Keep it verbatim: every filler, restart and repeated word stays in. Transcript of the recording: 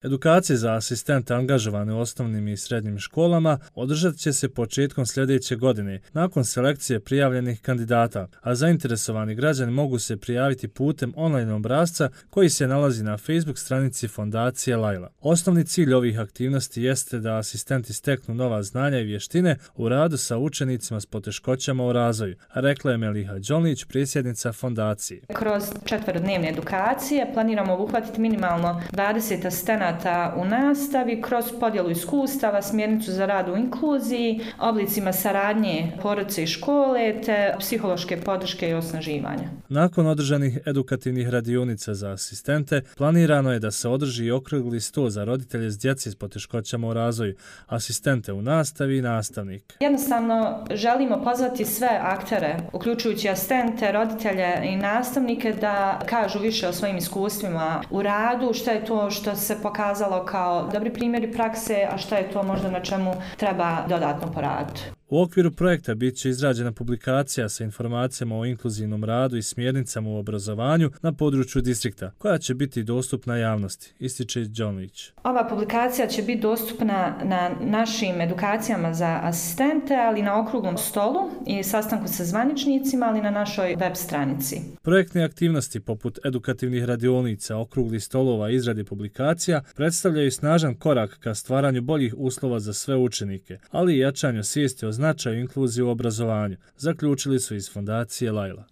Edukacije za asistente angažovane u osnovnim i srednjim školama održat će se početkom sljedeće godine, nakon selekcije prijavljenih kandidata, a zainteresovani građani mogu se prijaviti putem online obrasca koji se nalazi na Facebook stranici Fondacije Laila. Osnovni cilj ovih aktivnosti jeste da asistenti steknu nova znanja i vještine u radu sa učenicima s poteškoćama u razvoju, rekla je Meliha Đolić, predsjednica fondacije. Kroz četverodnevne edukacije planiramo obuhvatiti minimalno dvadeset asistenata u nastavi kroz podjelu iskustava, smjernicu za rad u inkluziji, oblicima saradnje porodice i škole te psihološke podrške i osnaživanja. Nakon održanih edukativnih radionica za asistente, planirano je da se održi i okrugli sto za roditelje s djece s poteškoćama u razvoju, asistente u nastavi i nastavnike. Jednostavno želimo pozvati sve aktere, uključujući asistente, roditelje i nastavnike, da kažu više o svojim iskustvima u radu, što je to što se pokazalo kao dobri primjeri prakse, a šta je to možda na čemu treba dodatno poraditi. U okviru projekta bit će izrađena publikacija sa informacijama o inkluzivnom radu i smjernicama u obrazovanju na području distrikta, koja će biti dostupna javnosti, ističe Đolić. Ova publikacija će biti dostupna na našim edukacijama za asistente, ali na okruglom stolu i sastanku sa zvaničnicima, ali na našoj web stranici. Projektne aktivnosti poput edukativnih radionica, okruglih stolova i izrade publikacija predstavljaju snažan korak ka stvaranju boljih uslova za sve učenike, ali i jačanju svijesti o značaju inkluzije u obrazovanju, zaključili su iz Fondacije Laila.